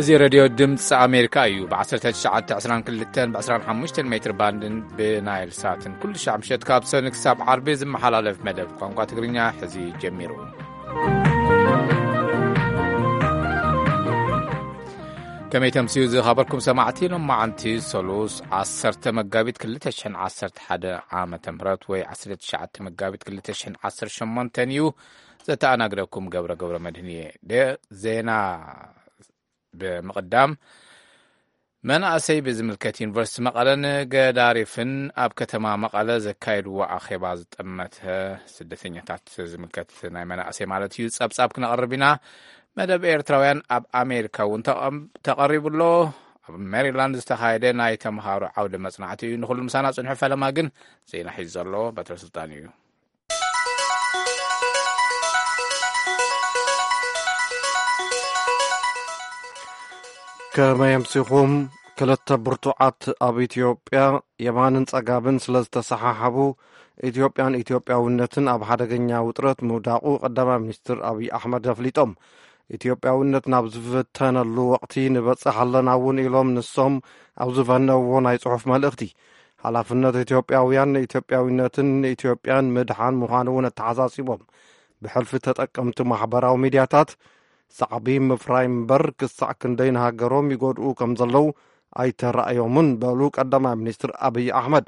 እዚ ሬድዮ ድምፂ ኣሜሪካ እዩ። ብ1922 ብ25 ሜትር ባንድን ብናይል ሳትን ኩሉ ሻዕ ምሸት ካብ ሰኒ ክሳብ ዓርቢ ዝመሓላለፍ መደብ ቋንቋ ትግርኛ ሕዚ ጀሚሩ። ከመይ ተምስዩ ዝኸበርኩም ሰማዕቲ፣ ሎማዓንቲ ሰሉስ 10 መጋቢት 2011 ዓመተ ምህረት ወይ 19 መጋቢት 2018 እዩ። ዘተኣናግደኩም ገብረ ገብረ መድህን እየ። ደ-፣ ዜና ብምቕዳም፣ መናእሰይ ብዝምልከት ዩኒቨርሲቲ መቐለን ገዳሪፍን ኣብ ከተማ መቐለ ዘካየድዎ ኣኼባ ዝጠመተ ስደተኛታት ዝምልከት ናይ መናእሰይ ማለት እዩ ጸብጻብ ክነቕርብ ኢና። መደብ ኤርትራውያን ኣብ ኣሜሪካ እውን ተቐም-፣ ተቐሪቡ ኣሎ። ኣብ ሜሪላንድ ዝተኻየደ ናይ ተምሃሮ ዓውደ መጽናዕቲ እዩ። ንኹሉ ምሳና ጽንሑ። ፈለማ ግን ዜና ሒዙ ዘሎ በትረ ስልጣን እዩ። ከመይ ኣምሲኹም? ክልተ ብርቱዓት ኣብ ኢትዮጵያ የማንን ጸጋምን ስለ ዝተሰሓሓቡ፣ ኢትዮጵያን ኢትዮጵያውነትን ኣብ ሓደገኛ ውጥረት ምውዳቑ ቀዳማይ ሚኒስትር ኣብይ ኣሕመድ ኣፍሊጦም። ኢትዮጵያውነት ናብ ዝፍተነሉ ወቕቲ ንበጽሕ ኣለና እውን ኢሎም ንሶም ኣብ ዝፈነውዎ ናይ ጽሑፍ መልእኽቲ። ሓላፍነት ኢትዮጵያውያን ንኢትዮጵያዊነትን ንኢትዮጵያን ምድሓን ምዃኑ እውን ኣተሓሳሲቦም። ብሕልፊ ተጠቀምቲ ማሕበራዊ ሚድያታት ሳዕቢ ምፍራይ እምበር ክሳዕ ክንደይ ንሃገሮም ይጎድኡ ከም ዘለዉ ኣይተራእዮምን በሉ ቀዳማይ ሚኒስትር ኣብይ ኣሕመድ።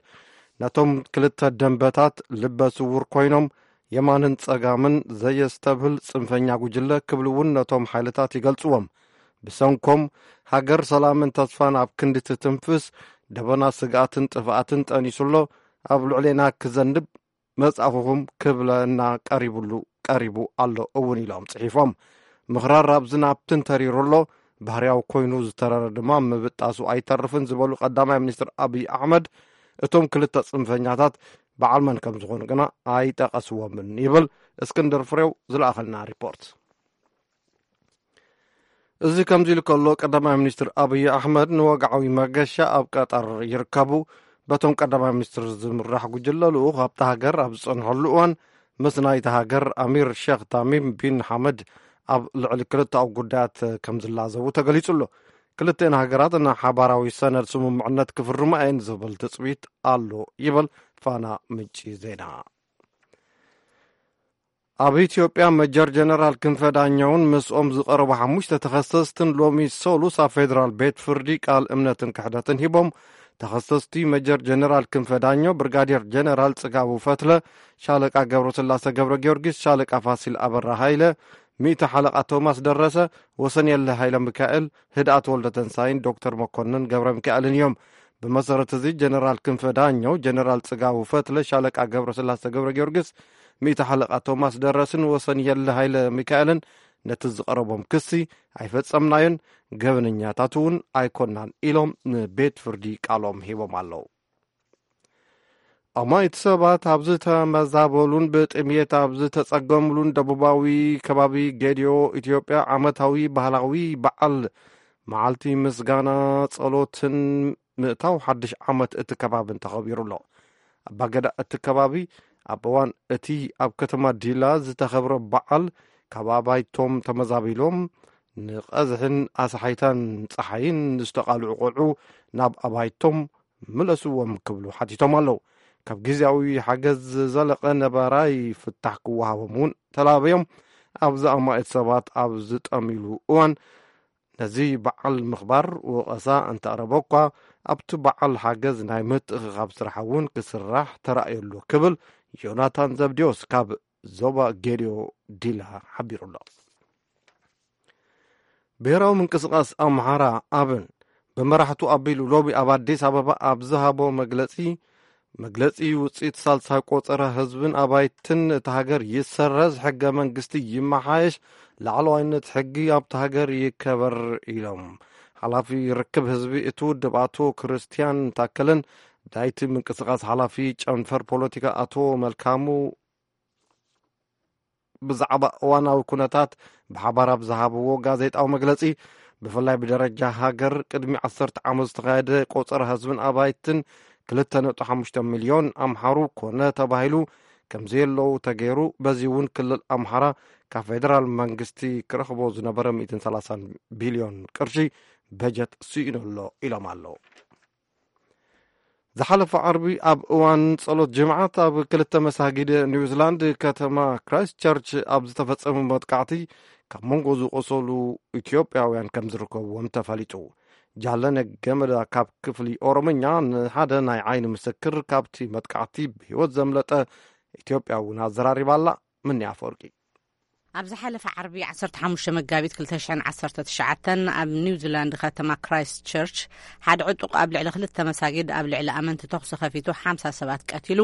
ነቶም ክልተ ደንበታት ልበ ስውር ኮይኖም የማንን ጸጋምን ዘየስተብህል ጽንፈኛ ጉጅለ ክብሉ እውን ነቶም ሓይልታት ይገልጽዎም። ብሰንኮም ሃገር ሰላምን ተስፋን ኣብ ክንዲ ትትንፍስ ደበና ስግኣትን ጥፍኣትን ጠኒሱ ኣሎ። ኣብ ልዕሌና ክዘንብ መጻእኹኹም ክብለና ቀሪቡሉ፣ ቀሪቡ ኣሎ እውን ኢሎም ጽሒፎም። ምኽራር ኣብ ዝናብ ትንተሪሩ ኣሎ። ባህርያዊ ኮይኑ ዝተረረ ድማ ምብጣሱ ኣይተርፍን ዝበሉ ቀዳማይ ሚኒስትር ኣብይ ኣሕመድ፣ እቶም ክልተ ጽንፈኛታት በዓል መን ከም ዝኾኑ ግና ኣይጠቐስዎምን ይብል እስክንድር ፍሬው ዝለኣኸልና ሪፖርት። እዚ ከምዚ ኢሉ ከሎ፣ ቀዳማይ ሚኒስትር ኣብይ ኣሕመድ ንወግዓዊ መገሻ ኣብ ቀጠር ይርከቡ። በቶም ቀዳማይ ሚኒስትር ዝምራሕ ጉጅለ ልኡኽ ኣብታ ሃገር ኣብ ዝጸንሐሉ እዋን፣ ምስ ናይታ ሃገር ኣሚር ሼኽ ታሚም ቢን ሓመድ ኣብ ልዕሊ ክልተኣዊ ጉዳያት ከም ዝላዘቡ ተገሊጹ ኣሎ። ክልተን ሃገራት ንሓባራዊ ሰነድ ስምምዕነት ክፍርማ እየን ዝብል ትጽቢት ኣሎ ይብል ፋና ምንጪ ዜና። ኣብ ኢትዮጵያ መጀር ጀነራል ክንፈ ዳኘውን ምስኦም ዝቐረቡ ሓሙሽተ ተኸሰስትን ሎሚ ሰሉስ ኣብ ፌዴራል ቤት ፍርዲ ቃል እምነትን ክሕደትን ሂቦም። ተኸሰስቲ መጀር ጀነራል ክንፈ ዳኘው፣ ብርጋዴር ጀነራል ጽጋቡ ፈትለ፣ ሻለቃ ገብረስላሰ ገብረ ጊዮርጊስ፣ ሻለቃ ፋሲል ኣበራ ሃይለ፣ ሚእቲ ሓለቃ ቶማስ ደረሰ፣ ወሰንየለ ሃይለ ሚካኤል፣ ህድኣት ወልደ ተንሳይን ዶክተር መኮንን ገብረ ሚካኤልን እዮም። ብመሰረት እዚ ጀነራል ክንፈ ዳኘው፣ ጀነራል ጽጋቡ ፈትለ፣ ሻለቃ ገብረስላሰ ገብረ ጊዮርጊስ፣ ሚእቲ ሓለቃ ቶማስ ደረስን ወሰንየለ ሃይለ ሚካኤልን ነቲ ዝቐረቦም ክሲ ኣይፈጸምናዮን፣ ገበነኛታት እውን ኣይኮናን ኢሎም ንቤት ፍርዲ ቃሎም ሂቦም ኣለዉ። ኣማኢት ሰባት ኣብ ዝተመዛበሉን ብጥምየት ኣብ ዝተጸገምሉን ደቡባዊ ከባቢ ጌዲዮ ኢትዮጵያ ዓመታዊ ባህላዊ በዓል መዓልቲ ምስጋና ጸሎትን ምእታው ሓድሽ ዓመት እቲ ከባብን ተኸቢሩ ኣሎ። ኣባገዳ እቲ ከባቢ ኣብ እዋን እቲ ኣብ ከተማ ዲላ ዝተኸብረ በዓል ካብ ኣባይቶም ተመዛቢሎም ንቐዝሕን ኣስሓይታን ጸሓይን ዝተቓልዑ ቆልዑ ናብ ኣባይቶም ምለስዎም ክብሉ ሓቲቶም ኣለዉ። ካብ ግዜያዊ ሓገዝ ዝዘለቐ ነባራይ ፍታሕ ክወሃቦም እውን ተላበዮም። ኣብዚ ኣማኢት ሰባት ኣብ ዝጠምይሉ እዋን ነዚ በዓል ምኽባር ወቐሳ እንተቕረበ እኳ፣ ኣብቲ በዓል ሓገዝ ናይ ምትእኽኻብ ስራሕ እውን ክስራሕ ተራእዮ ኣሎ ክብል ዮናታን ዘብዴዎስ ካብ ዞባ ጌዲዮ ዲላ ሓቢሩ ኣሎ። ብሄራዊ ምንቅስቓስ ኣምሓራ ኣብን ብመራሕቱ ኣቢሉ ሎሚ ኣብ ኣዲስ ኣበባ ኣብ ዝሃቦ መግለጺ፣ መግለጺ ውጽኢት ሳልሳይ ቆጸራ ህዝብን ኣባይትን እታ ሃገር ይሰረዝ፣ ሕገ መንግስቲ ይመሓየሽ፣ ላዕለዋይነት ሕጊ ኣብታ ሃገር ይከበር ኢሎም። ሓላፊ ርክብ ህዝቢ እቲ ውድብ ኣቶ ክርስቲያን ታከለን ናይቲ ምንቅስቓስ ሓላፊ ጨንፈር ፖለቲካ ኣቶ መልካሙ ብዛዕባ እዋናዊ ኩነታት ብሓባር ኣብ ዝሃብዎ ጋዜጣዊ መግለጺ፣ ብፍላይ ብደረጃ ሃገር ቅድሚ ዓሰርተ ዓመት ዝተኻየደ ቆጸራ ህዝብን ኣባይትን ክልተ ነጥቢ ሓሙሽተ ሚልዮን ኣምሓሩ ኮነ ተባሂሉ ከም ዘየለዉ ተገይሩ፣ በዚ እውን ክልል ኣምሓራ ካብ ፌደራል መንግስቲ ክረኽቦ ዝነበረ ሚእትን ሰላሳን ቢልዮን ቅርሺ በጀት ስኢኑ ኣሎ ኢሎም ኣለዉ። ዝሓለፈ ዓርቢ ኣብ እዋን ጸሎት ጅምዓት ኣብ ክልተ መሳጊድ ኒውዚላንድ ከተማ ክራይስት ቸርች ኣብ ዝተፈጸመ መጥቃዕቲ ካብ መንጎ ዝቆሰሉ ኢትዮጵያውያን ከም ዝርከብዎም ተፈሊጡ። ጃለነ ገመዳ ካብ ክፍሊ ኦሮምኛ ንሓደ ናይ ዓይኒ ምስክር ካብቲ መጥቃዕቲ ብህይወት ዘምለጠ ኢትዮጵያዊ እውን ኣዘራሪባ ኣላ። ምንያ ኣፈወርቂ። ኣብ ዝሓለፈ ዓርቢ ዓሰርተ ሓሙሽተ መጋቢት ክልተ ሽሕን ዓሰርተ ትሽዓተን ኣብ ኒውዚላንድ ከተማ ክራይስት ቸርች ሓደ ዕጡቕ ኣብ ልዕሊ ክልተ መሳጊድ ኣብ ልዕሊ ኣመንቲ ተኹሲ ከፊቱ ሓምሳ ሰባት ቀቲሉ፣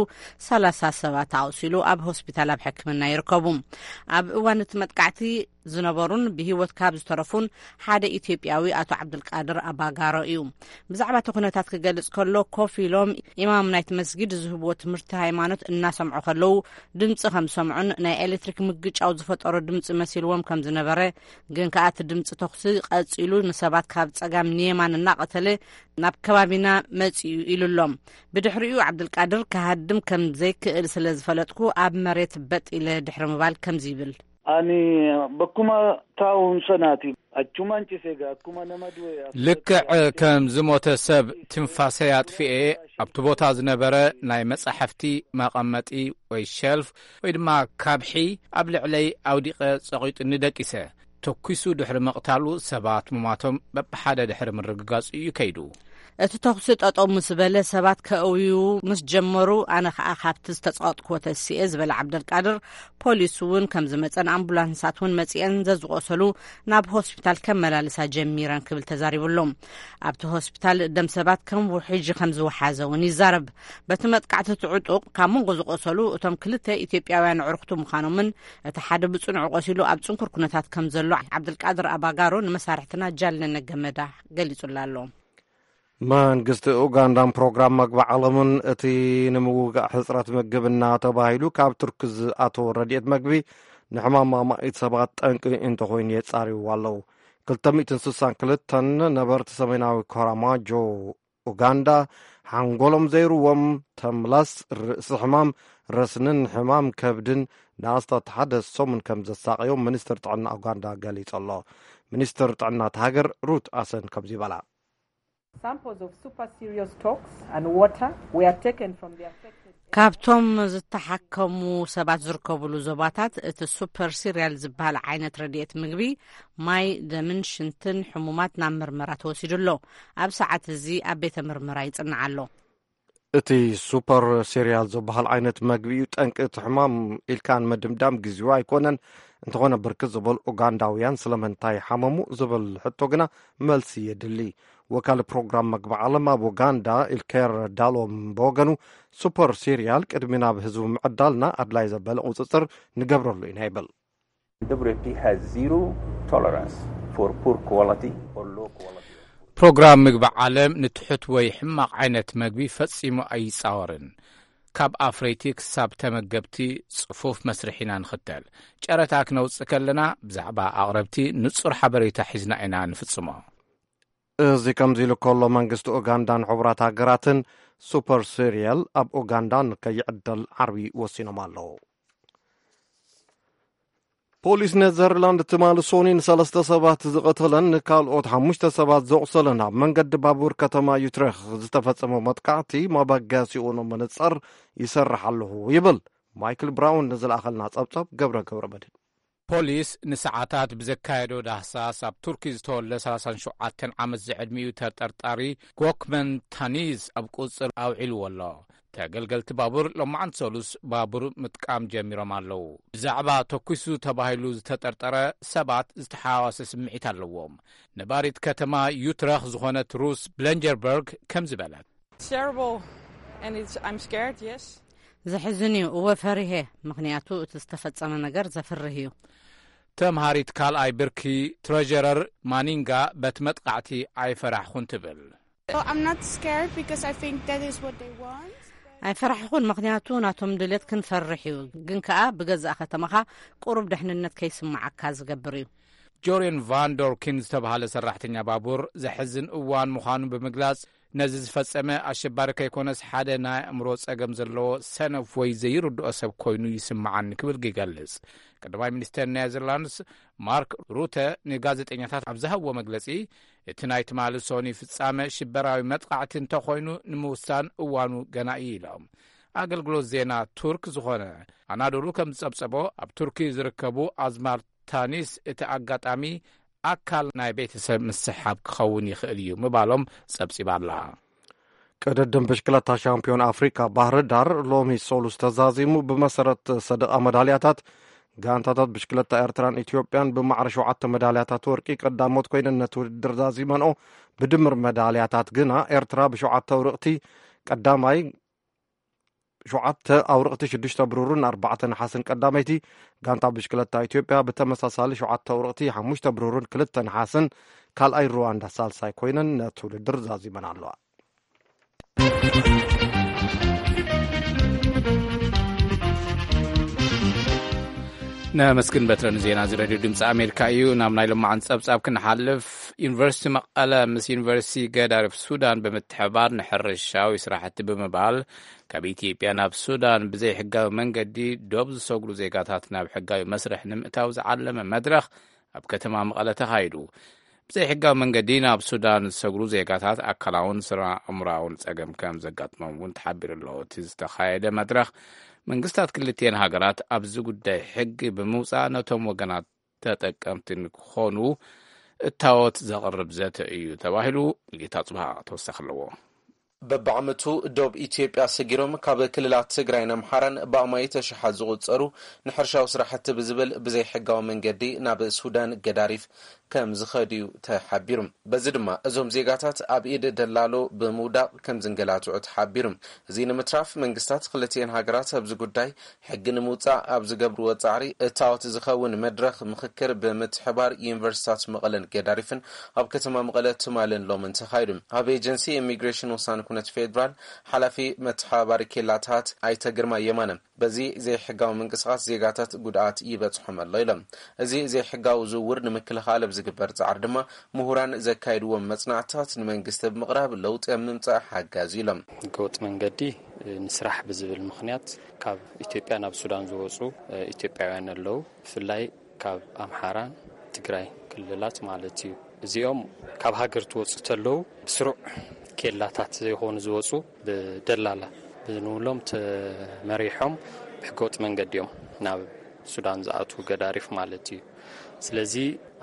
ሰላሳ ሰባት ኣቑሲሉ ኣብ ሆስፒታል ኣብ ሕክምና ይርከቡ። ኣብ እዋን እቲ መጥቃዕቲ ዝነበሩን ብህይወት ካብ ዝተረፉን ሓደ ኢትዮጵያዊ ኣቶ ዓብዱልቃድር ኣባጋሮ እዩ። ብዛዕባ እቲ ኩነታት ክገልጽ ከሎ፣ ኮፍ ኢሎም ኢማም ናይቲ መስጊድ ዝህብዎ ትምህርቲ ሃይማኖት እናሰምዑ ከለዉ ድምጺ ከም ዝሰምዑን ናይ ኤሌክትሪክ ምግጫው ዝፈጠሮ ድምጺ መሲልዎም ከም ዝነበረ፣ ግን ከኣ እቲ ድምጺ ተኹሲ ቀጺሉ ንሰባት ካብ ጸጋም ንየማን እናቐተለ ናብ ከባቢና መጺኡ ኢሉ ኣሎ። ብድሕሪኡ ዓብዱልቃድር ክሃድም ከም ዘይክእል ስለ ዝፈለጥኩ ኣብ መሬት በጥ ኢለ ድሕሪ ምባል ከምዚ ይብል። Ani bakkuma taa'uun sanaati achumaan ciseega akkuma nama du'e. ልክዕ ከም ዝሞተ ሰብ ትንፋሰይ ኣጥፊኤ ኣብቲ ቦታ ዝነበረ ናይ መጻሕፍቲ መቐመጢ ወይ ሸልፍ ወይ ድማ ካብሒ ኣብ ልዕለይ ኣውዲቐ ጸቒጡኒ ደቂሰ። ተኲሱ ድሕሪ ምቕታሉ ሰባት ምማቶም በብሓደ ድሕሪ ምርግጋጹ እዩ ከይዱ። እቲ ተኹሲ ጠጠው ምስ በለ ሰባት ከእውዩ ምስ ጀመሩ ኣነ ኸኣ ካብቲ ዝተጸቐጥክዎ ተሲኤ ዝበለ ዓብደልቃድር፣ ፖሊስ እውን ከም ዝመጸን ኣምቡላንሳት እውን መጺኤን ዘዝቆሰሉ ናብ ሆስፒታል ከመላልሳ ጀሚረን ክብል ተዛሪቡ ኣሎ። ኣብቲ ሆስፒታል ደም ሰባት ከም ውሕጂ ከም ዝወሓዘ እውን ይዛረብ። በቲ መጥቃዕቲ እቲ ዕጡቕ ካብ መንጎ ዝቆሰሉ እቶም ክልተ ኢትዮጵያውያን ኣዕሩኽቱ ምዃኖምን እቲ ሓደ ብጽኑዕ ቆሲሉ ኣብ ጽንኩር ኩነታት ከም ዘሎ ዓብደልቃድር ኣባጋሮ ንመሳርሕትና ጃልነነ ገመዳ ገሊጹላ ኣሎ። መንግስቲ ኡጋንዳን ፕሮግራም መግቢ ዓለምን እቲ ንምውጋእ ሕጽረት ምግብና ተባሂሉ ካብ ቱርኪ ዝኣተወ ረድኤት መግቢ ንሕማም ኣማኢት ሰባት ጠንቂ እንተኾይኑ የጻርይዎ ኣለዉ። ክልተ ሚእትን ስሳን ክልተን ነበርቲ ሰሜናዊ ኮራማጆ ኡጋንዳ ሓንጎሎም ዘይርዎም ተምላስ፣ ርእሲ ሕማም፣ ረስንን ሕማም ከብድን ንኣስታት ሓደ ሰሙን ከም ዘሳቐዮም ሚኒስትር ጥዕና ኡጋንዳ ገሊጹ ኣሎ። ሚኒስትር ጥዕና እታ ሃገር ሩት ኣሰን ከምዚ ይበላ። Samples of super cereal stocks and water were taken from the affected areas. ካብቶም ዝተሓከሙ ሰባት ዝርከብሉ ዞባታት እቲ ሱፐር ሲሪያል ዝበሃል ዓይነት ረድኤት ምግቢ፣ ማይ፣ ደምን ሽንትን ሕሙማት ናብ ምርመራ ተወሲዱ ኣሎ። ኣብ ሰዓት እዚ ኣብ ቤተ ምርመራ ይጽናዕ ኣሎ። እቲ ሱፐር ሲሪያል ዝበሃል ዓይነት መግቢ እዩ ጠንቂ እቲ ሕማም ኢልካ ንምድምዳም ግዜኡ ኣይኮነን። እንተኾነ ብርክት ዝበሉ ኡጋንዳውያን ስለምንታይ ሓመሙ ዝብል ሕቶ ግና መልሲ የድሊ። ወካሊ ፕሮግራም መግቢ ዓለም ኣብ ኡጋንዳ ኢልኬር ዳሎም ብወገኑ፣ ሱፐር ሲሪያል ቅድሚ ናብ ህዝቡ ምዕዳልና ኣድላይ ዘበለ ቁጽጽር ንገብረሉ ኢና ይብል። W F P has zero tolerance for poor quality or low quality. ፕሮግራም ምግቢ ዓለም ንትሑት ወይ ሕማቕ ዓይነት መግቢ ፈጺሙ ኣይጻወርን። ካብ ኣፍረይቲ ክሳብ ተመገብቲ ጽፉፍ መስርሕ ኢና ንኽተል። ጨረታ ክነውጽእ ከለና ብዛዕባ ኣቕረብቲ ንጹር ሓበሬታ ሒዝና ኢና ንፍጽሞ። እዚ ከምዚ ኢሉ ከሎ፣ መንግስቲ ኡጋንዳን ሕቡራት ሃገራትን ሱፐር ሲሪያል ኣብ ኡጋንዳ ንከይዕደል ዓርቢ ወሲኖም ኣለዉ። ፖሊስ ኔዘርላንድ ትማሊ ሶኒ ንሰለስተ ሰባት ዝቐተለን ንካልኦት ሓሙሽተ ሰባት ዘቑሰለን ኣብ መንገዲ ባቡር ከተማ ዩትሬክ ዝተፈጸመ መጥቃዕቲ መበገሲኡ ንምንጻር ይሰርሕ ኣለኹ ይብል። ማይክል ብራውን ንዝለኣኸልና ጸብጻብ ገብረ ገብረ መድህን። ፖሊስ ንሰዓታት ብዘካየዶ ዳህሳስ ኣብ ቱርኪ ዝተወልደ ሰላሳን ሸውዓተን ዓመት ዝዕድሚኡ ተጠርጣሪ ጎክመን ታኒዝ ኣብ ቁጽጽር ኣውዒልዎ ኣሎ። ተገልገልቲ ባቡር ሎማዓንቲ ሰሉስ ባቡር ምጥቃም ጀሚሮም ኣለዉ። ብዛዕባ ተኲሱ ተባሂሉ ዝተጠርጠረ ሰባት ዝተሓዋወሰ ስምዒት ኣለዎም። ነባሪት ከተማ ዩትረኽ ዝኾነት ሩስ ብለንጀርበርግ ከምዚ በለት። It's terrible and it's, I'm scared, yes. ዘሕዝን እዩ፣ እወ ፈሪሄ፣ ምኽንያቱ እቲ ዝተፈጸመ ነገር ዘፍርህ እዩ። ተምሃሪት ካልኣይ ብርኪ ትረጀረር ማኒንጋ በቲ መጥቃዕቲ ኣይፈራሕኹን ትብል። Oh, I'm not scared because I think that is what they want. ኣይፈራሕኹን፣ ምኽንያቱ ናቶም ድሌት ክንፈርሕ እዩ፣ ግን ከኣ ብገዛእ ከተማኻ ቁሩብ ድሕንነት ከይስምዓካ ዝገብር እዩ። ጆርየን ቫን ዶርኪን ዝተባህለ ሰራሕተኛ ባቡር ዘሕዝን እዋን ምዃኑ ብምግላጽ፣ ነዚ ዝፈጸመ ኣሸባሪ ከይኮነስ ሓደ ናይ ኣእምሮ ጸገም ዘለዎ ሰነፍ ወይ ዘይርድኦ ሰብ ኮይኑ ይስምዓኒ ክብል ይገልጽ። ቀዳማይ ሚኒስተር ኔዘርላንድስ ማርክ ሩተ ንጋዜጠኛታት ኣብ ዝሃብዎ መግለጺ፣ እቲ ናይ ትማሊ ሶኒ ፍጻመ ሽበራዊ መጥቓዕቲ እንተኾይኑ ንምውሳን እዋኑ ገና እዩ ኢሎም። ኣገልግሎት ዜና ቱርክ ዝኾነ ኣናዶሉ ከም ዝጸብጸቦ፣ ኣብ ቱርኪ ዝርከቡ ኣዝማር ታኒስ እቲ ኣጋጣሚ ኣካል ናይ ቤተሰብ ምስሕሓብ ክኸውን ይኽእል እዩ ምባሎም ጸብጺባ ኣላ። ቅድድም ብሽክለታ ሻምፒዮን ኣፍሪካ ባህር ዳር ሎሚ ሰሉስ ተዛዚሙ። ብመሰረት ሰደቓ መዳልያታት፣ ጋንታታት ብሽክለታ ኤርትራን ኢትዮጵያን ብማዕረ ሸውዓተ መዳልያታት ወርቂ ቀዳሞት ኮይነን ነቲ ውድድር ዛዚመንኦ። ብድምር መዳልያታት ግና ኤርትራ ብሸውዓተ ኣውርቕቲ ቀዳማይ፣ ሸውዓተ ኣውርቕቲ ሽዱሽተ ብሩርን ኣርባዕተ ነሓስን ቀዳመይቲ፣ ጋንታ ብሽክለታ ኢትዮጵያ ብተመሳሳሊ ሸውዓተ ኣውርቕቲ ሓሙሽተ ብሩርን ክልተ ነሓስን፣ ካልኣይ ሩዋንዳ ሳልሳይ ኮይነን ነቲ ውድድር ዛዚመን ኣለዋ። ነመስግን በትረ ንዜና እዚ ሬድዮ ድምፂ ኣሜሪካ እዩ። ናብ ናይ ሎማዓን ጸብጻብ ክንሓልፍ፣ ዩኒቨርሲቲ መቐለ ምስ ዩኒቨርሲቲ ገዳሪፍ ሱዳን ብምትሕባር ንሕርሻዊ ስራሕቲ ብምባል ካብ ኢትዮጵያ ናብ ሱዳን ብዘይሕጋዊ መንገዲ ዶብ ዝሰግሩ ዜጋታት ናብ ሕጋዊ መስርሕ ንምእታው ዝዓለመ መድረኽ ኣብ ከተማ መቐለ ተኻይዱ። ብዘይሕጋዊ መንገዲ ናብ ሱዳን ዝሰግሩ ዜጋታት ኣካላውን ስነ ኣእምሮኣውን ጸገም ከም ዘጋጥሞም እውን ተሓቢሩ ኣሎ። እቲ ዝተኻየደ መድረኽ መንግስታት ክልቲኤን ሃገራት ኣብዚ ጉዳይ ሕጊ ብምውጻእ ነቶም ወገናት ተጠቀምቲ ንክኾኑ እታወት ዘቕርብ ዘተ እዩ ተባሂሉ። ሙሉጌታ ጽብሃ ተወሳኺ ኣለዎ። በብዓመቱ ዶብ ኢትዮጵያ ሰጊሮም ካብ ክልላት ትግራይን ኣምሓራን ብኣማኢት ኣሽሓት ዝቑጸሩ ንሕርሻዊ ስራሕቲ ብዝብል ብዘይሕጋዊ መንገዲ ናብ ሱዳን ገዳሪፍ ከም ዝኸዱ እዩ ተሓቢሩ። በዚ ድማ እዞም ዜጋታት ኣብ ኢድ ደላሎ ብምውዳቕ ከም ዝንገላትዑ ተሓቢሩ። እዚ ንምትራፍ መንግስታት ክልቲኤን ሃገራት ኣብዚ ጉዳይ ሕጊ ንምውጻእ ኣብ ዝገብርዎ ጻዕሪ እታወት ዝኸውን መድረኽ ምኽክር ብምትሕባር ዩኒቨርሲታት መቐለን ገዳሪፍን ኣብ ከተማ መቐለ ትማልን ሎምን ተኻይዱ። ኣብ ኤጀንሲ ኢሚግሬሽን ወሳኒ ኩነት ፌዴራል ሓላፊ መተሓባባሪ ኬላታት ኣይተ ግርማ የማነ፣ በዚ ዘይሕጋዊ ምንቅስቓስ ዜጋታት ጉድኣት ይበጽሖም ኣሎ ኢሎም። እዚ ዘይሕጋዊ ዝውውር ንምክልኻል ኣብ ዝግበር ጻዕሪ ድማ ምሁራን ዘካይድዎም መጽናዕትታት ንመንግስቲ ብምቕራብ ለውጢ ኣብ ምምጻእ ሓጋዚ ኢሎም። ህገወጥ መንገዲ ንስራሕ ብዝብል ምኽንያት ካብ ኢትዮጵያ ናብ ሱዳን ዝወፁ ኢትዮጵያውያን ኣለዉ። ብፍላይ ካብ ኣምሓራን ትግራይ ክልላት ማለት እዩ። እዚኦም ካብ ሃገር ትወፁ ተለዉ ብስሩዕ ኬላታት ዘይኮኑ ዝወፁ ብደላላ ብንብሎም ተመሪሖም ብሕገወጥ መንገዲ እዮም ናብ ሱዳን ዝኣትዉ ገዳሪፍ ማለት እዩ። ስለዚ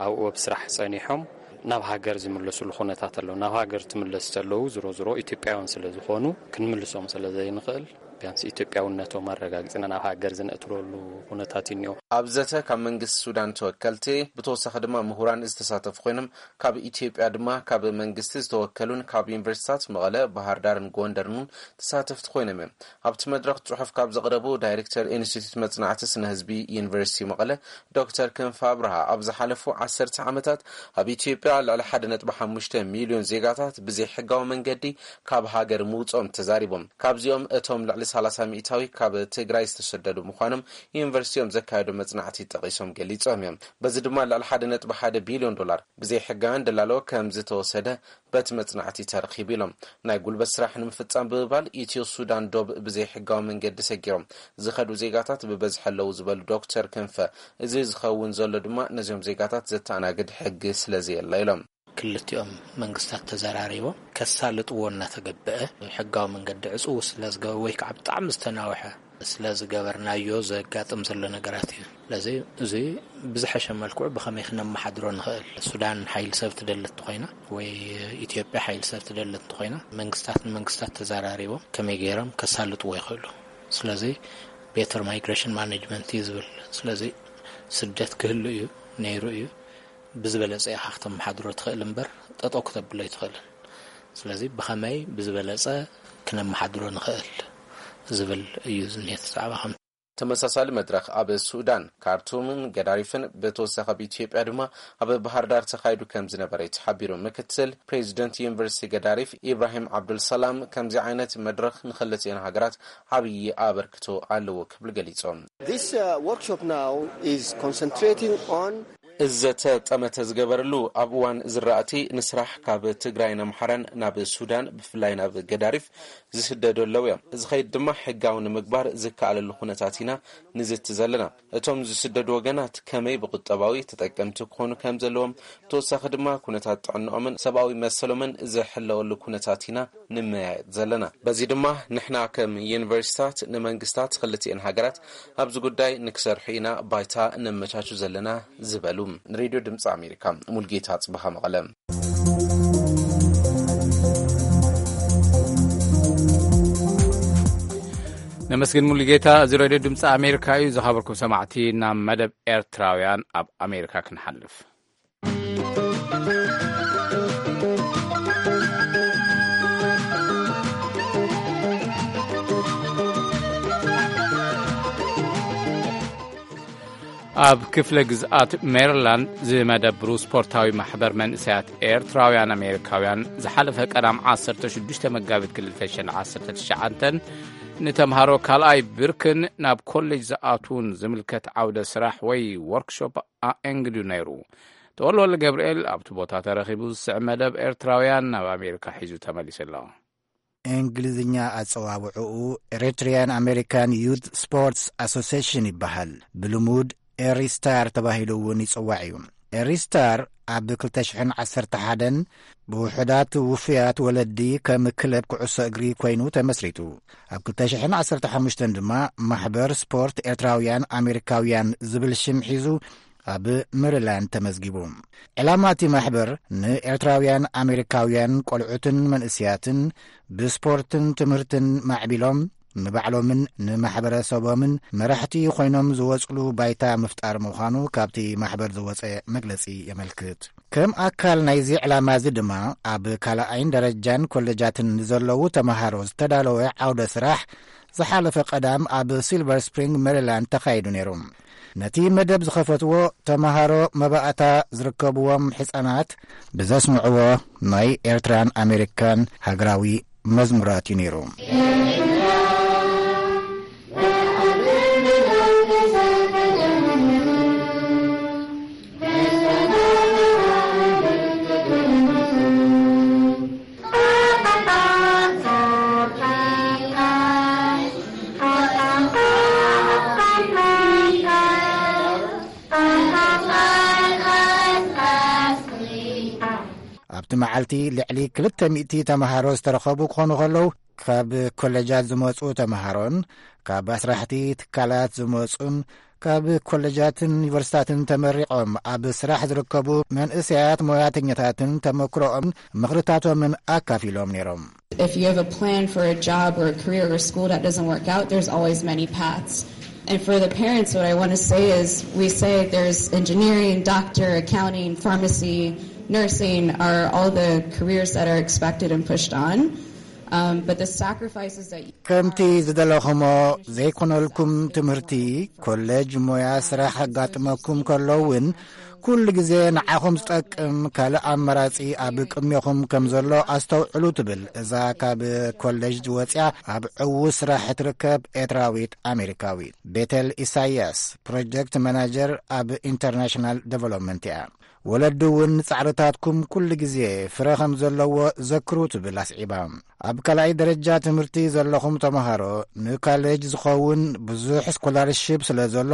ኣብኡ ኣብ ስራሕ ጸኒሖም ናብ ሃገር ዝምለስሉ ኩነታት ኣሎ። ናብ ሃገር ትምለስ ተለዉ ዝሮ ዝሮ ኢትዮጵያውያን ስለ ዝኾኑ ክንምልሶም ስለ ዘይንኽእል ቢያንስ ኢትዮጵያውነቶም ኣረጋጊጽና ናብ ሃገር ዝነእትረሉ ኩነታት እዩ እኒኦ። ኣብ ዘተ ካብ መንግስቲ ሱዳን ተወከልቲ ብተወሳኺ ድማ ምሁራን ዝተሳተፉ ኮይኖም ካብ ኢትዮጵያ ድማ ካብ መንግስቲ ዝተወከሉን ካብ ዩኒቨርሲታት መቐለ፣ ባህር ዳርን ጎንደርን እውን ተሳተፍቲ ኮይኖም እዮም። ኣብቲ መድረኽ ጽሑፍ ካብ ዘቕረቡ ዳይሬክተር ኢንስቲትዩት መጽናዕቲ ስነ ህዝቢ ዩኒቨርሲቲ መቐለ ዶክተር ክንፈ ኣብርሃ ኣብ ዝሓለፉ ዓሰርተ ዓመታት ኣብ ኢትዮጵያ ልዕሊ ሓደ ነጥቢ ሓሙሽተ ሚልዮን ዜጋታት ብዘይሕጋዊ መንገዲ ካብ ሃገር ምውፅኦም ተዛሪቦም። ካብዚኦም እቶም ልዕሊ ሰላሳ ሚእታዊ ካብ ትግራይ ዝተሰደዱ ምዃኖም ዩኒቨርሲቲኦም ዘካየዶ መጽናዕቲ ጠቒሶም ገሊጾም እዮም። በዚ ድማ ልዕሊ ሓደ ነጥቢ ሓደ ቢልዮን ዶላር ብዘይሕጋውያን ደላሎ ከም ዝተወሰደ በቲ መጽናዕቲ ተረኺቡ ኢሎም። ናይ ጉልበት ስራሕ ንምፍጻም ብምባል ኢትዮ ሱዳን ዶብ ብዘይሕጋዊ መንገዲ ሰጊሮም ዝኸዱ ዜጋታት ብበዝሒ ኣለዉ ዝበሉ ዶክተር ክንፈ፣ እዚ ዝኸውን ዘሎ ድማ ነዚኦም ዜጋታት ዘተኣናግድ ሕጊ ስለ ዘየለ ኢሎም። ክልቲኦም መንግስታት ተዘራሪቦም ከሳልጥዎ እናተገበአ ሕጋዊ መንገዲ ዕጽው ስለ ዝገበ ወይ ከዓ ብጣዕሚ ዝተናውሐ ስለ ዝገበርናዮ ዘጋጥም ዘሎ ነገራት እዩ። ስለዚ እዚ ብዝሐሸ መልክዑ ብኸመይ ክነመሓድሮ ንኽእል? ሱዳን ሓይሊ ሰብ ትደሊ እንተኾይና ወይ ኢትዮጵያ ሓይሊ ሰብ ትደሊ እንተኾይና መንግስታት ንመንግስታት ተዘራሪቦም ከመይ ገይሮም ከሳልጥዎ ይኽእሉ? ስለዚ ቤተር ማይግሬሽን ማኔጅመንት እዩ ዝብል። ስለዚ ስደት ክህሉ እዩ ነይሩ እዩ። ብዝበለጸ ኢኻ ክተመሓድሮ ትኽእል እምበር ጠጠው ክተብሎ ኣይትኽእልን። ስለዚ ብኸመይ ብዝበለጸ ክነመሓድሮ ንኽእል ዝብል እዩ ዝኒሀ እቲ ዛዕባ። ከም ተመሳሳሊ መድረኽ ኣብ ሱዳን ካርቱምን ገዳሪፍን ብተወሳኺ ኣብ ኢትዮጵያ ድማ ኣብ ባህር ዳር ተኻይዱ ከም ዝነበረ እዩ ተሓቢሩ። ምክትል ፕሬዚደንት ዩኒቨርሲቲ ገዳሪፍ ኢብራሂም ዓብዱልሰላም ከምዚ ዓይነት መድረኽ ንክልቲኤን ሃገራት ዓብዪ ኣበርክቶ ኣለዎ ክብል ገሊጾም። This uh, workshop now is concentrating on እዚ ዘተ ጠመተ ዝገበረሉ ኣብ እዋን ዝራእቲ ንስራሕ ካብ ትግራይን ኣምሓራን ናብ ሱዳን፣ ብፍላይ ናብ ገዳሪፍ ዝስደዱ ኣለዉ እዮም። እዚ ኸይድ ድማ ሕጋዊ ንምግባር ዝከኣለሉ ኩነታት ኢና ንዝቲ ዘለና። እቶም ዝስደዱ ወገናት ከመይ ብቁጠባዊ ተጠቀምቲ ክኾኑ ከም ዘለዎም፣ ብተወሳኺ ድማ ኩነታት ጥዕንኦምን ሰብኣዊ መሰሎምን ዝሕለወሉ ኩነታት ኢና ንመያየጥ ዘለና። በዚ ድማ ንሕና ከም ዩኒቨርሲታት ንመንግስታት ክልቲኤን ሃገራት ኣብዚ ጉዳይ ንክሰርሑ ኢና ባይታ ነመቻቹ ዘለና ዝበሉ። ንሬድዮ ድምፂ ኣሜሪካ ሙልጌታ ጽባሃ መቐለ። ነመስግን ሙሉጌታ። እዚ ሬድዮ ድምፂ ኣሜሪካ እዩ። ዝኸበርኩም ሰማዕቲ፣ ናብ መደብ ኤርትራውያን ኣብ ኣሜሪካ ክንሓልፍ። ኣብ ክፍለ ግዝኣት ሜሪላንድ ዝመደብሩ ስፖርታዊ ማሕበር መንእሰያት ኤርትራውያን ኣሜሪካውያን ዝሓለፈ ቀዳም ዓሰርተ ሽዱሽተ መጋቢት ክልተ ሽሕን ዓሰርተ ትሽዓተን ንተምሃሮ ካልኣይ ብርክን ናብ ኮሌጅ ዝኣትዉን ዝምልከት ዓውደ ስራሕ ወይ ወርክሾፕ ኣእንግዱ ነይሩ። ተወልወልደ ገብርኤል ኣብቲ ቦታ ተረኺቡ ዝስዕብ መደብ ኤርትራውያን ናብ ኣሜሪካ ሒዙ ተመሊሱ ኣሎ። እንግሊዝኛ ኣጸዋውዕኡ ኤሪትሪያን ኣሜሪካን ዩት ስፖርትስ ኣሶሲሽን ይበሃል። ብልሙድ ኤሪስታር ተባሂሉ እውን ይጽዋዕ እዩ። ኤሪስታር ኣብ ክልተ ሽሕን ዓሰርተ ሓደን ብውሑዳት ውፉያት ወለዲ ከም ክለብ ኩዕሶ እግሪ ኮይኑ ተመስሪቱ። ኣብ ክልተ ሽሕን ዓሰርተ ሓሙሽተን ድማ ማሕበር ስፖርት ኤርትራውያን ኣሜሪካውያን ዝብል ሽም ሒዙ ኣብ ሜሪላንድ ተመዝጊቡ። ዕላማ እቲ ማሕበር ንኤርትራውያን ኣሜሪካውያን ቆልዑትን መንእስያትን ብስፖርትን ትምህርትን ማዕቢሎም ንባዕሎምን ንማሕበረሰቦምን መራሕቲ ኮይኖም ዝወጽሉ ባይታ ምፍጣር ምዃኑ ካብቲ ማሕበር ዝወጸ መግለጺ የመልክት። ከም ኣካል ናይዚ ዕላማ እዚ ድማ ኣብ ካልኣይን ደረጃን ኮሌጃትን ንዘለዉ ተመሃሮ ዝተዳለወ ዓውደ ስራሕ ዝሓለፈ ቀዳም ኣብ ሲልቨር ስፕሪንግ ሜሪላንድ ተኻይዱ ነይሩ። ነቲ መደብ ዝኸፈትዎ ተመሃሮ መባእታ ዝርከብዎም ሕፃናት ብዘስምዕዎ ናይ ኤርትራን ኣሜሪካን ሃገራዊ መዝሙራት እዩ ነይሩ። ኣብቲ መዓልቲ ልዕሊ ክልተ ሚእቲ ተመሃሮ ዝተረኸቡ ክኾኑ ከለዉ፣ ካብ ኮለጃት ዝመጹ ተመሃሮን ካብ ኣስራሕቲ ትካላት ዝመጹን ካብ ኮለጃትን ዩኒቨርሲታትን ተመሪቖም ኣብ ስራሕ ዝርከቡ መንእሰያት ሞያተኛታትን ተመክሮኦምን ምኽርታቶምን ኣካፊሎም ነይሮም። If you have a plan for a job or a career or school that doesn't work out, there's always many paths. And for the parents, what I want to say is we say there's engineering, doctor, accounting, pharmacy, nursing are all the careers that are expected and pushed on. Um, but the sacrifices that ከምቲ ዝደለኹሞ ዘይኮነልኩም ትምህርቲ፣ ኮሌጅ፣ ሞያ፣ ስራሕ ኣጋጥመኩም ከሎ እውን ኩሉ ግዜ ንዓኹም ዝጠቅም ካልእ ኣማራጺ ኣብ ቅድሜኹም ከም ዘሎ ኣስተውዕሉ ትብል እዛ ካብ ኮሌጅ ወጽያ ኣብ ዕዉት ስራሕ እትርከብ ኤርትራዊት ኣሜሪካዊት። ቤተል ኢሳያስ ፕሮጀክት ማናጀር ኣብ ኢንተርናሽናል ዴቨሎፕመንት እያ። ወለዲ እውን ንጻዕርታትኩም ኩሉ ግዜ ፍረ ከም ዘለዎ ዘክሩ ትብል ኣስዒባ። ኣብ ካልኣይ ደረጃ ትምህርቲ ዘለኹም ተምሃሮ ንካሌጅ ዝኸውን ብዙሕ ስኮላርሺፕ ስለ ዘሎ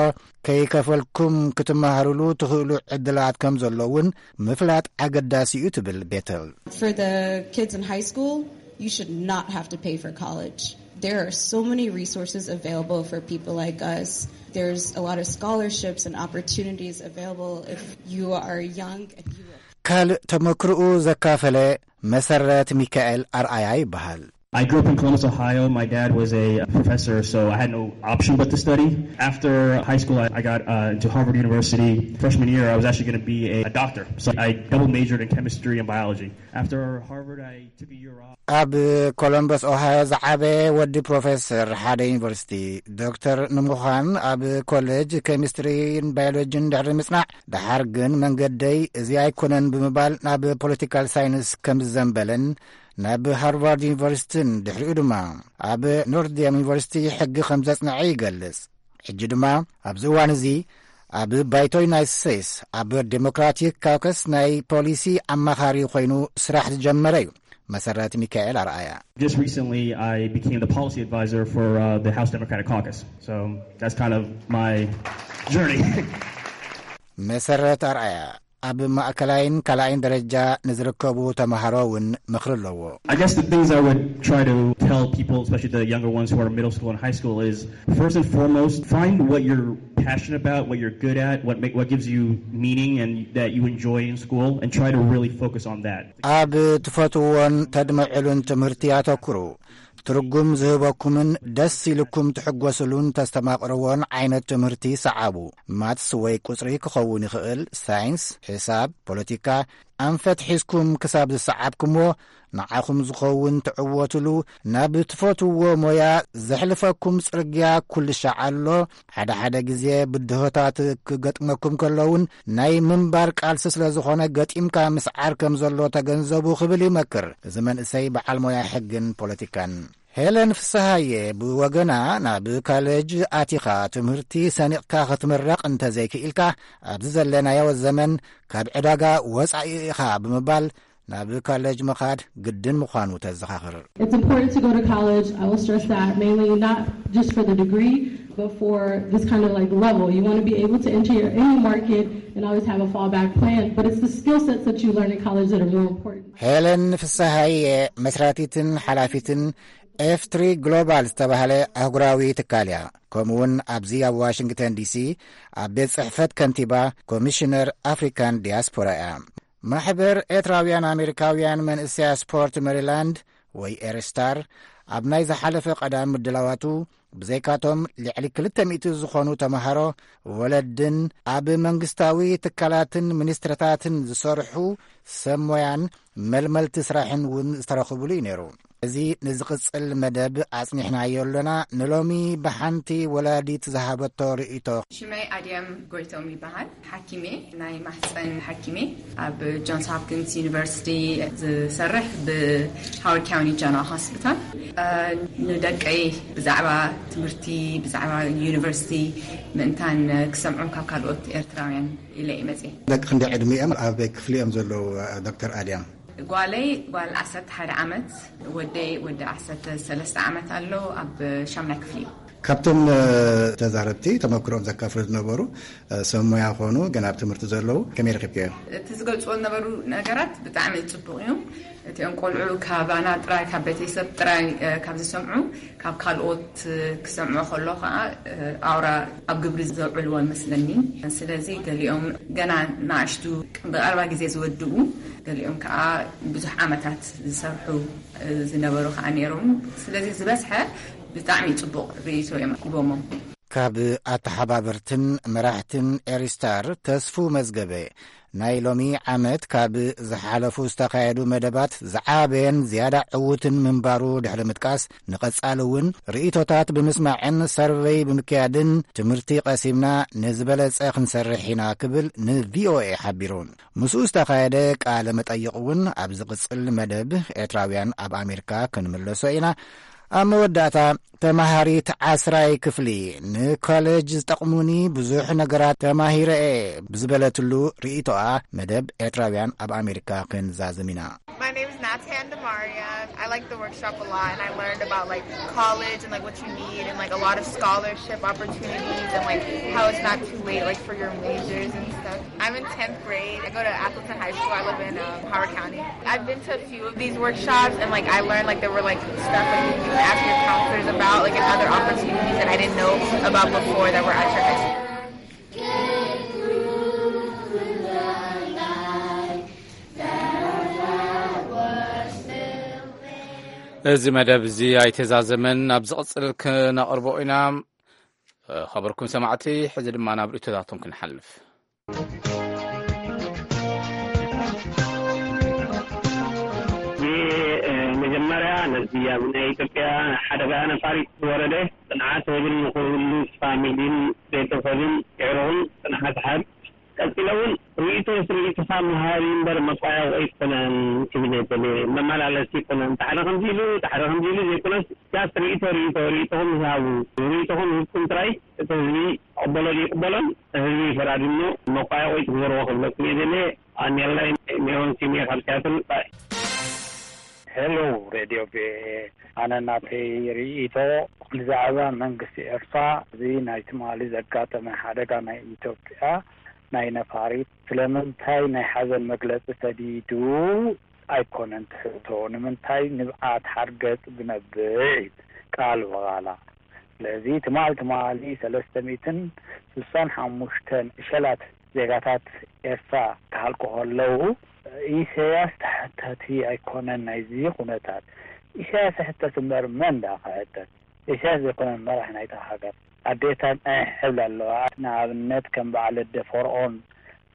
ከይከፈልኩም ክትመሃሩሉ ትኽእሉ ዕድላት ከም ዘሎ እውን ምፍላጥ ኣገዳሲ እዩ ትብል ቤተል። For the kids in high school, you should not have to pay for college. There are so many resources available for people like us. There's a lot of scholarships and opportunities available if you are young and you ካልእ ተመክርኡ ዘካፈለ መሰረት ሚካኤል ኣርኣያ ይበሃል። I grew up in Columbus, Ohio. My dad was a professor, so I had no option but to study. After high school, I, I got uh, into Harvard University. Freshman year, I was actually going to be a, a doctor. So I double majored in chemistry and biology. After Harvard, I took a year off. ኣብ ኮሎምበስ ኦሃዮ ዝዓበየ ወዲ ፕሮፌሰር ሓደ ዩኒቨርሲቲ፣ ዶክተር ንምዃን ኣብ ኮሌጅ ኬሚስትሪን ባዮሎጂን ድሕሪ ምጽናዕ፣ ደሓር ግን መንገደይ እዚ ኣይኮነን ብምባል ናብ ፖለቲካል ሳይንስ ከም ዝዘንበለን ናብ ሃርቫርድ ዩኒቨርሲቲን ድሕሪኡ ድማ ኣብ ኖርድያም ዩኒቨርሲቲ ሕጊ ከም ዘጽንዐ ይገልጽ። ሕጂ ድማ ኣብዚ እዋን እዚ ኣብ ባይቶ ዩናይትድ ስቴትስ ኣብ ዴሞክራቲክ ካውከስ ናይ ፖሊሲ ኣማኻሪ ኮይኑ ስራሕ ዝጀመረ እዩ። መሰረት ሚካኤል ኣርኣያ። Just recently, I became the policy advisor for uh, the House Democratic Caucus. So that's kind of my journey. መሰረት ኣርኣያ ኣብ ማእከላይን ካልኣይን ደረጃ ንዝርከቡ ተማሃሮ እውን ምኽሪ ኣለዎ። I guess the things I would try to tell people, especially the younger ones who are in middle school and high school, is first and foremost, find what you're passionate about, what you're good at, what make, what gives you meaning and that you enjoy in school, and try to really focus on that. ኣብ ትፈትዎን ተድምዕሉን ትምህርቲ ኣተኩሩ። ትርጉም ዝህበኩምን ደስ ኢልኩም ትሕጎስሉን ተስተማቕርዎን ዓይነት ትምህርቲ ሰዓቡ። ማትስ ወይ ቁጽሪ ክኸውን ይኽእል፣ ሳይንስ፣ ሒሳብ፣ ፖለቲካ፣ ኣንፈት ሒዝኩም ክሳብ ዝሰዓብኩምዎ ንዓኹም ዝኸውን ትዕወትሉ፣ ናብ ትፈትዎ ሞያ ዘሕልፈኩም ጽርግያ ኩልሻዕ ኣሎ። ሓደ ሓደ ግዜ ብድሆታት ክገጥመኩም ከለውን ናይ ምንባር ቃልሲ ስለ ዝኾነ ገጢምካ ምስዓር ከም ዘሎ ተገንዘቡ ክብል ይመክር እዚ መንእሰይ በዓል ሞያ ሕግን ፖለቲካን። ሄለን ፍስሃየ ብወገና ናብ ካሌጅ ኣቲኻ ትምህርቲ ሰኒቕካ ክትምረቕ እንተዘይክኢልካ ኣብዚ ዘለናዮ ዘመን ካብ ዕዳጋ ወጻኢ ኢኻ ብምባል ናብ ካሌጅ ምኻድ ግድን ምዃኑ ተዘኻኽር። It's important to go to college. I will stress that mainly not just for the degree, but for this kind of like level. You want to be able to enter your, any market and always have a fallback plan. But it's the skill sets that you learn in college that are more important. ሄለን ፍስሃየ መስራቲትን ሓላፊትን ኤፍ ትሪ ግሎባል ዝተባህለ ኣህጉራዊ ትካል እያ። ከምኡውን ኣብዚ ኣብ ዋሽንግተን ዲሲ ኣብ ቤት ጽሕፈት ከንቲባ ኮሚሽነር ኣፍሪካን ዲያስፖራ እያ። ማሕበር ኤርትራውያን ኣሜሪካውያን መንእሰያ ስፖርት ሜሪላንድ ወይ ኤርስታር ኣብ ናይ ዝሓለፈ ቀዳም ምድላዋቱ ብዘይካቶም ልዕሊ ክልተ ሚእቲ ዝኾኑ ተምሃሮ ወለድን ኣብ መንግስታዊ ትካላትን ሚኒስትርታትን ዝሰርሑ ሰብ ሞያን መልመልቲ ስራሕን እውን ዝተረኽብሉ እዩ ነይሩ። እዚ ንዝቕጽል መደብ ኣጽኒሕናዮ ኣሎና። ንሎሚ ብሓንቲ ወላዲት ዝሃበቶ ርእይቶ። ሽመይ ኣድያም ጎይቶም ይበሃል። ሓኪሜ ናይ ማህፀን ሓኪሜ ኣብ ጆንስ ሆፕኪንስ ዩኒቨርሲቲ ዝሰርሕ ብሃዋርድ ካውንቲ ጀነራል ሆስፒታል። ንደቀይ ብዛዕባ ትምህርቲ ብዛዕባ ዩኒቨርሲቲ ምእንታን ክሰምዖም ካብ ካልኦት ኤርትራውያን ኢለ እየ መፅየ። ደቂ ክንደይ ዕድሚኦም ኣበይ ክፍሊ እዮም ዘለዉ? ዶክተር ኣድያም። ጓለይ ጓል ዓሰርተ ሓደ ዓመት፣ ወደይ ወዲ ዓሰርተ ሰለስተ ዓመት ኣሎ፣ ኣብ ሻምናይ ክፍሊ እዩ። ካብቶም ተዛረብቲ ተመክሮም ዘካፍሉ ዝነበሩ ሰብ ሞያ ኾኑ ገና ኣብ ትምህርቲ ዘለዉ ከመይ ረኺብክዮ? እቲ ዝገልፅዎ ዝነበሩ ነገራት ብጣዕሚ ፅቡቕ እዩ። እቲኦም ቆልዑ ካባና ጥራይ ካብ ቤተሰብ ጥራይ ካብ ዝሰምዑ ካብ ካልኦት ክሰምዑ ከሎ ከዓ ኣውራ ኣብ ግብሪ ዘውዕልዎ ይመስለኒ። ስለዚ ገሊኦም ገና ንኣሽቱ ብቐረባ ግዜ ዝወድኡ ገሊኦም ከዓ ብዙሕ ዓመታት ዝሰርሑ ዝነበሩ ከዓ ነይሮም። ስለዚ ዝበዝሐ ብጣዕሚ ፅቡቕ ርእይቶ እዮም ሂቦሞም። ካብ ኣተሓባበርትን መራሕትን ኤሪስታር ተስፉ መዝገበ ናይ ሎሚ ዓመት ካብ ዝሓለፉ ዝተኻየዱ መደባት ዝዓበየን ዝያዳ ዕዉትን ምንባሩ ድሕሪ ምጥቃስ፣ ንቐጻሊ እውን ርእይቶታት ብምስማዕን ሰርቨይ ብምክያድን ትምህርቲ ቀሲምና ንዝበለጸ ክንሰርሕ ኢና ክብል ንቪኦኤ ሓቢሩ። ምስኡ ዝተኻየደ ቃለ መጠይቕ እውን ኣብ ዝቕጽል መደብ ኤርትራውያን ኣብ ኣሜሪካ ክንምለሶ ኢና። ኣብ መወዳእታ ተማሃሪት ዓስራይ ክፍሊ ንኮሌጅ ዝጠቕሙኒ ብዙሕ ነገራት ተማሂረ እየ ብዝበለትሉ ርእይቶኣ መደብ ኤርትራውያን ኣብ ኣሜሪካ ክንዛዝም ኢና። My name is Natan Demaria. I like the workshop a lot, and I learned about like college and like what you need and like a lot of scholarship opportunities and like how it's not too late like for your majors and stuff. I'm in tenth grade. I go to Atherton High School. I live in um, Howard County. I've been to a few of these workshops, and like I learned like there were like stuff like you can ask your counselors about, like, and other opportunities that I didn't know about before that were at your high school. እዚ መደብ እዚ ኣይተዛዘመን፣ ኣብ ዝቕጽል ክነቕርቦ ኢና። ኸበርኩም ሰማዕቲ፣ ሕዚ ድማ ናብ ርእይቶታቶም ክንሓልፍ። መጀመርያ ነዚ ኣብ ናይ ኢትዮጵያ ሓደጋ ነፋሪት ዝወረደ ጽንዓት ህዝብን ንኹሉ ፋሚሊን ቤተሰብን የዕሩኽን ጽንዓት ሓብ። ቀጺለ እውን ርእይቶስ ርእይቶኻ ምሃብ እዩ እምበር መቋየቑ ኣይኮነን ክብል እየ ደልየ። መመላለሲ ኣይኮነን። እቲ ሓደ ከምዚ ኢሉ፣ እቲ ሓደ ከምዚ ኢሉ ዘይኮነስ፣ ጃስት ርእይቶ፣ ርእይቶ፣ ርእይቶኹም ዝሃቡ። ርእይቶኹም ሂብኩም ጥራይ እቲ ህዝቢ ቅበሎ ይቅበሎን ህዝቢ ፈራዲሞ መቋያ ወይ ትግበርዎ ክብለኩም እየ ደለ ኣኔላይ ሜሮን ሲሜ ካብ ሲያትል። ሄሎ ሬድዮ ቪኦኤ፣ ኣነ ናተይ ርእይቶ ብዛዕባ መንግስቲ ኤርትራ፣ እዚ ናይ ትማሊ ዘጋጠመ ሓደጋ ናይ ኢትዮጵያ ናይ ነፋሪት ስለምንታይ ናይ ሓዘን መግለጺ ሰዲዱ ኣይኮነን ትሕቶ፣ ንምንታይ ንብዓት ሓርገጽ ብነብዕ ቃል ብቓላ። ስለዚ ትማል ትማሊ ሰለስተ ሚእትን ስሳን ሓሙሽተን እሸላት ዜጋታት ኤርትራ ክሃልቁ ከለዉ፣ ኢሳያስ ተሓታቲ ኣይኮነን ናይዚ ኩነታት። ኢሳያስ ይሕተት እምበር መን ደኣ ክሕተት? ኢሳያስ ዘይኮነን መራሒ ናይታ ሃገር። ኣዴታት ናይ ሕብል ኣለዋ። ንኣብነት ከም በዓል ኣደ ፈርዖን፣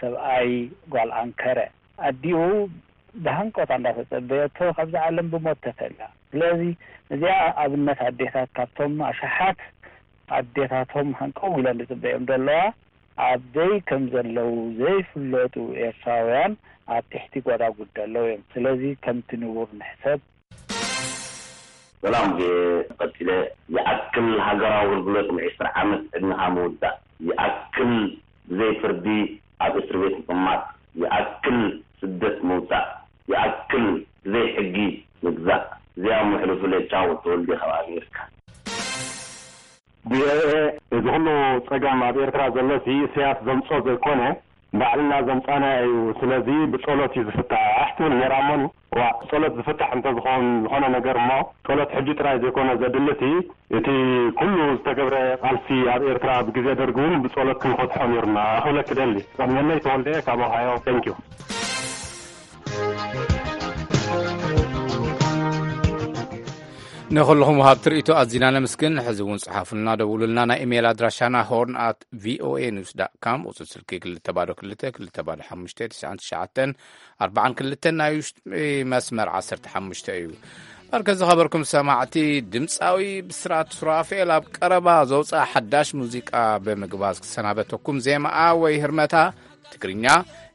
ሰብኣይ ጓል ኣንከረ። ኣዲኡ ብሃንቀውታ እንዳተጸበየቶ ካብዛ ዓለም ብሞት ተፈልያ። ስለዚ እዚኣ ኣብነት ኣዴታት ካብቶም ኣሽሓት ኣዴታቶም ሃንቀው ኢለን ዝጽበዮም ዘለዋ፣ ኣበይ ከም ዘለዉ ዘይፍለጡ ኤርትራውያን ኣብ ትሕቲ ጎዳጉዲ ዘለዉ እዮም። ስለዚ ከምቲ ንቡር ንሕሰብ። ሰላም፣ ቀጺለ ይኣክል ሃገራዊ ኣገልግሎት ንዒስራ ዓመት ዕድመኻ ምውዳእ፣ ይኣክል ብዘይ ፍርዲ ኣብ እስር ቤት ምቕማጥ፣ ይኣክል ስደት ምውጻእ፣ ይኣክል ብዘይ ሕጊ ምግዛእ። እዚኣ መሕልፉ ለቻው ተወልደ ካብ ኣሜሪካ። ቪኦኤ፣ እዚ ኩሉ ጸገም ኣብ ኤርትራ ዘሎሲ ኢሳያስ ዘምጾ ዘይኮነ፣ ባዕልና ዘምጻና እዩ። ስለዚ ብጸሎት እዩ ዝፍታሕ ትብል ነይራ። እሞኒ፣ ዋ፣ ብጸሎት ዝፍታሕ እንተዝኸውን ዝኾነ ነገር እሞ፣ ጸሎት ሕጂ ጥራይ ዘይኮነ ዘድልቲ፣ እቲ ኩሉ ዝተገብረ ቃልሲ ኣብ ኤርትራ ብግዜ ደርጊ እውን ብጸሎት ክንፈትሖ ነይሩና ክብለኪ ደሊ። ጸልመለይ ተወልደ ካብ ኦሃዮ። Thank you። ንኹልኹም ወሃብቲ ርእይቶ ኣዚና ነመስግን። ሕዚ እውን ጽሓፉልና፣ ደውሉልና። ናይ ኢሜይል ኣድራሻና ሆርን ኣት ቪኦኤ ኒውስ ዳት ካም፣ ቁጽሪ ስልኪ ክልተ ባዶ ክልተ፣ ክልተ ባዶ ሓሙሽተ፣ ትሽዓን ትሽዓተን፣ ኣርባዓን ክልተን፣ ናይ ውሽጢ መስመር ዓሰርተ ሓሙሽተ እዩ። በርከ ዝኸበርኩም ሰማዕቲ፣ ድምጻዊ ብስራት ሱራፌል ኣብ ቀረባ ዘውጽኣ ሓዳሽ ሙዚቃ ብምግባዝ ክሰናበተኩም። ዜማኣ ወይ ህርመታ ትግርኛ፣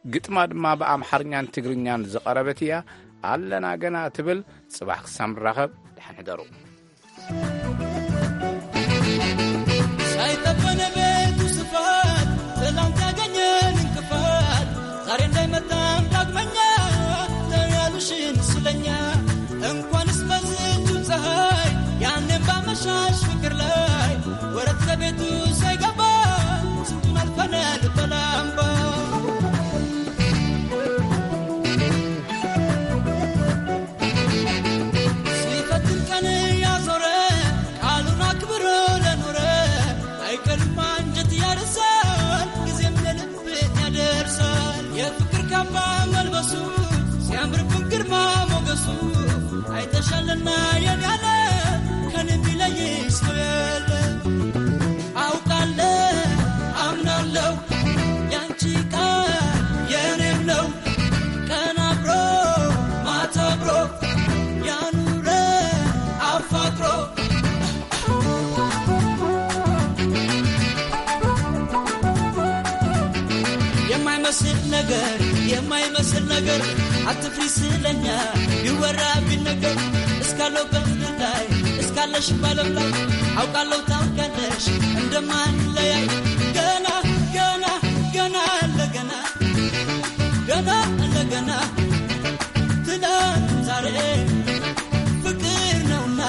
ግጥማ ድማ ብኣምሓርኛን ትግርኛን ዝቐረበት እያ። ኣለና ገና ትብል። ጽባሕ ክሳብ ንራኸብ፣ ደሓን ሕደሩ። ሳይጠበነ ቤቱ ስፋት፣ ትላንት ያገኘን እንቅፋት፣ ዛሬ እንዳይመጣም ዳግመኛ፣ ተያሉሽን ስለኛ። እንኳንስ በዝቹ ፀሐይ፣ ያኔም ባመሻሽ ፍቅር ላይ፣ ወረት ከቤቱ ሳይገባ፣ ስንቱን አልፈናል በላምባ። ሲፈትን ቀን ያዞረ፣ ቃሉን አክብሮ ለኖረ፣ አይቀርም አንጀት ያርሳል፣ ጊዜም የልብን ያደርሳል። የፍቅር ካባ መልበሱ፣ ሲያምርብን ግርማ ሞገሱ፣ አይተሻልና የኔ ያለ፣ ከኔ የሚለይ ሰው የለ። አውቃለሁ፣ አምናለሁ፣ ያንቺ ቃል የኔም ነው። ቀን አብሮ ማታ አብሮ ያኑረ አፋቅሮ። የማይመስል ነገር፣ የማይመስል ነገር፣ አትፍሪ ስለኛ ይወራ ቢነገር። እስካለው በምድር ላይ፣ እስካለሽ ባለም ላይ፣ አውቃለሁ ታውቂያለሽ እንደማንለያይ። ገና፣ ገና፣ ገና አለ ገና፣ ገና አለ ገና። ትናንት ዛሬ ፍቅር ነውና።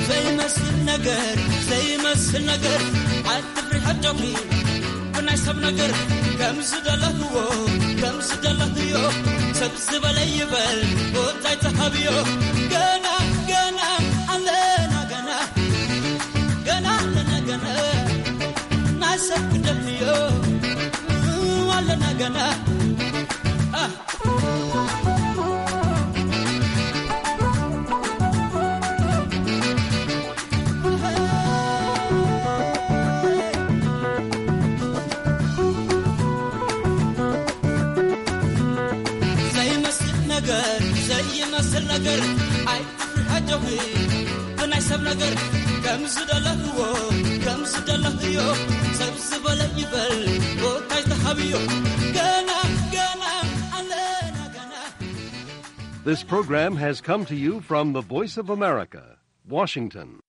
ዘይመስል ነገር፣ ዘይመስል ነገር፣ አትፍሪ ሐጆኺ ብናይ ሰብ ነገር። ከም ዝደለኽዎ፣ ከም ዝደለኽዮ፣ ሰብ ዝበለ ይበል፣ ቦታ ኣይትሃብዮ። ገና፣ ገና ኣለና ገና፣ ገና ኣለና ገና፣ ናይ ሰብ ክደልዮ ኣለና ገና። አ። ዘይመስል ነገር፣ ዘይመስል ነገር፣ ኣይትፍርሐጆኺ ብናይ ሰብ ነገር። ከም ዝደለኽዎ፣ ከም ዝደለኽዮ፣ ሰብ ዝበለ ይበል፣ ቦታ ኣይትሃብዮ። ገና፣ ገና ኣለና ገና። This program has come to you from the Voice of America, Washington.